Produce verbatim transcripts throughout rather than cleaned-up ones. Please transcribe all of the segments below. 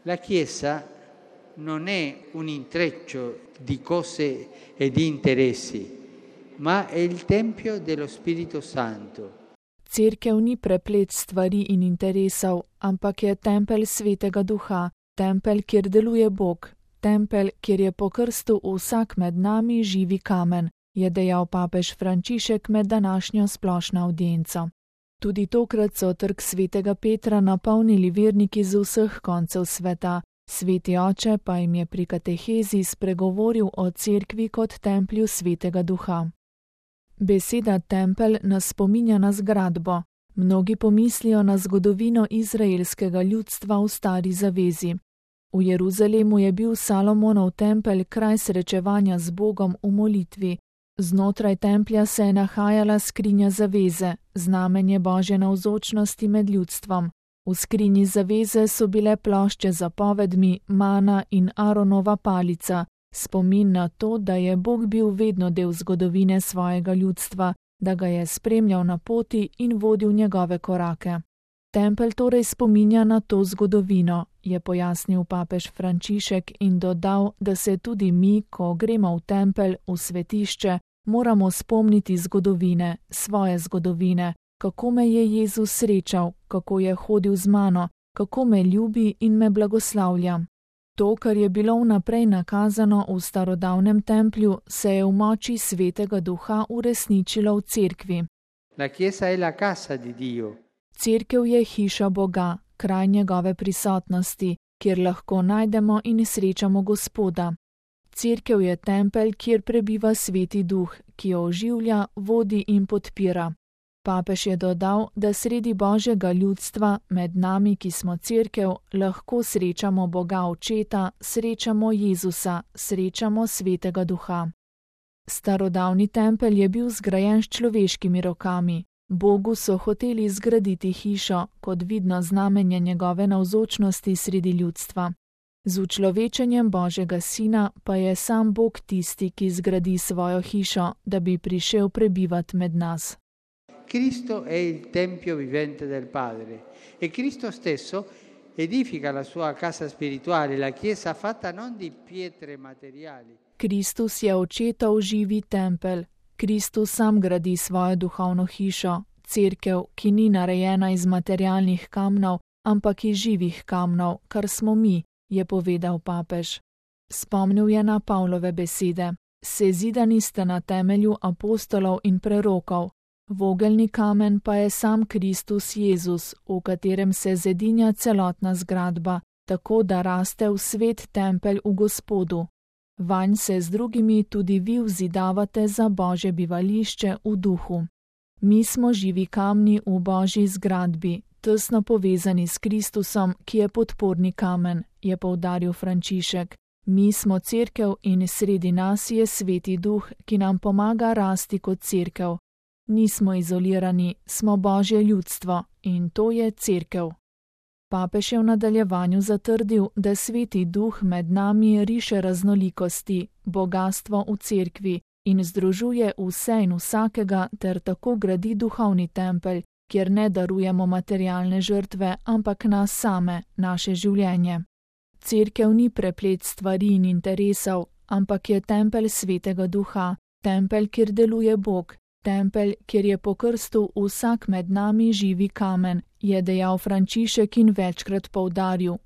La Chiesa non è un intreccio di cose e di interessi, ma è il Tempio dello Spirito Santo. Cerkev ni preplet stvari in interesov, ampak je tempelj Svetega Duha, tempelj, kjer deluje Bog, tempelj, kjer je po krstu vsak med nami živi kamen, je dejal papež Frančišek med današnjo splošno avdienco. Tudi tokrat so trg Svetega Petra napolnili verniki z vseh koncev sveta, Sveti oče pa jim je pri katehezi spregovoril o cerkvi kot templju Svetega Duha. Beseda tempelj nas spominja na zgradbo. Mnogi pomislijo na zgodovino izraelskega ljudstva v stari zavezi. V Jeruzalemu je bil Salomonov tempelj kraj srečevanja z Bogom v molitvi. Znotraj templja se je nahajala skrinja zaveze, znamenje Božje navzočnosti med ljudstvom. V skrinji zaveze so bile plošče z zapovedmi, mana in Aronova palica, spomin na to, da je Bog bil vedno del zgodovine svojega ljudstva, da ga je spremljal na poti in vodil njegove korake. Tempelj torej spominja na to zgodovino, je pojasnil papež Frančišek in dodal, da se tudi mi, ko gremo v tempelj, v svetišče, moramo spomniti zgodovine, svoje zgodovine, kako me je Jezus srečal, kako je hodil z mano, kako me ljubi in me blagoslavlja. To, kar je bilo vnaprej nakazano v starodavnem templju, se je v moči Svetega Duha uresničilo v cerkvi. La Chiesa è la casa di Dio. Cerkev je hiša Boga, kraj njegove prisotnosti, kjer lahko najdemo in srečamo Gospoda. Cerkev je tempelj, kjer prebiva Sveti Duh, ki jo oživlja, vodi in podpira. Papež je dodal, da sredi Božjega ljudstva, med nami, ki smo cerkev, lahko srečamo Boga Očeta, srečamo Jezusa, srečamo Svetega Duha. Starodavni tempelj je bil zgrajen s človeškimi rokami. Bogu so hoteli zgraditi hišo, kot vidno znamenje njegove navzočnosti sredi ljudstva. Z učlovečenjem Božjega Sina pa je sam Bog tisti, ki zgradi svojo hišo, da bi prišel prebivati med nas. Cristo è il tempio vivente del Padre e Cristo stesso edifica la sua casa spirituale, la Chiesa fatta non di pietre materiali. Kristus je Očetov živi tempelj. Kristus sam gradi svojo duhovno hišo, cerkev, ki ni narejena iz materialnih kamnov, ampak iz živih kamnov, kar smo mi, je povedal papež. Spomnil je na Pavlove besede. Sezidani ste na temelju apostolov in prerokov. Vogelni kamen pa je sam Kristus Jezus, v katerem se zedinja celotna zgradba, tako da raste v svet tempelj v Gospodu. Vanj se z drugimi tudi vi vzidavate za Božje bivališče v duhu. Mi smo živi kamni v Božji zgradbi, tesno povezani s Kristusom, ki je podporni kamen, je poudaril Frančišek. Mi smo cerkev in sredi nas je Sveti Duh, ki nam pomaga rasti kot cerkev. Nismo izolirani, smo Božje ljudstvo in to je cerkev. Papež je v nadaljevanju zatrdil, da Sveti Duh med nami riše raznolikosti, bogastvo v cerkvi in združuje vse in vsakega ter tako gradi duhovni tempelj, kjer ne darujemo materialne žrtve, ampak nas same, naše življenje. Cerkev ni preplet stvari in interesov, ampak je tempelj Svetega Duha, tempelj, kjer deluje Bog, tempelj, kjer je po krstu vsak med nami živi kamen, je dejal Frančišek in večkrat poudaril.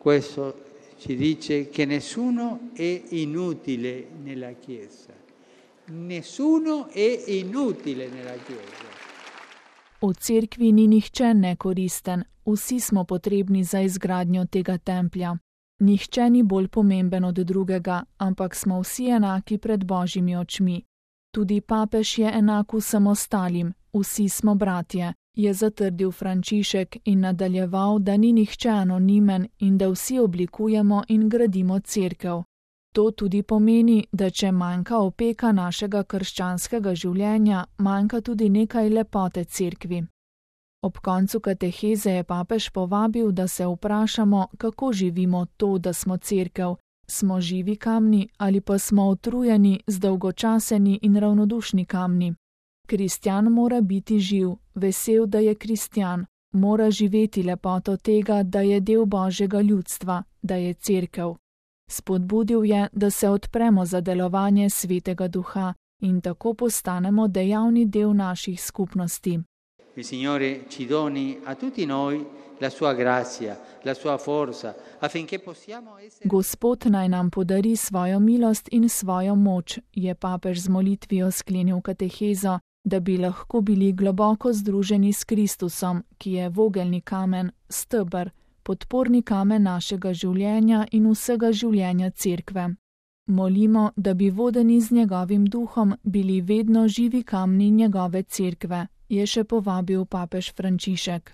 Questo ci dice che nessuno è inutile nella Chiesa. Nessuno è inutile nella Chiesa. V cerkvi ni nihče nekoristen, vsi smo potrebni za izgradnjo tega templja. Nihče ni bolj pomemben od drugega, ampak smo vsi enaki pred Božjimi očmi. Tudi papež je enak vsem ostalim, vsi smo bratje, je zatrdil Frančišek in nadaljeval, da ni nihče anonimen in da vsi oblikujemo in gradimo cerkev. To tudi pomeni, da če manjka opeka našega krščanskega življenja, manjka tudi nekaj lepote cerkvi. Ob koncu kateheze je papež povabil, da se vprašamo, kako živimo to, da smo cerkev. Smo živi kamni ali pa smo utrujeni, zdolgočaseni in ravnodušni kamni. Kristjan mora biti živ, vesel, da je kristjan, mora živeti lepoto tega, da je del Božjega ljudstva, da je cerkev. Spodbudil je, da se odpremo za delovanje Svetega Duha in tako postanemo dejavni del naših skupnosti. Il Signore ci doni a tutti noi la sua grazia, la sua forza, affinché possiamo essere... Gospod naj nam podari svojo milost in svojo moč, je papež z molitvijo sklenil katehezo, da bi lahko bili globoko združeni s Kristusom, ki je vogelni kamen, steber, podporni kamen našega življenja in vsega življenja cerkve. Molimo, da bi vodeni z njegovim duhom bili vedno živi kamni njegove cerkve, je še povabil papež Frančišek.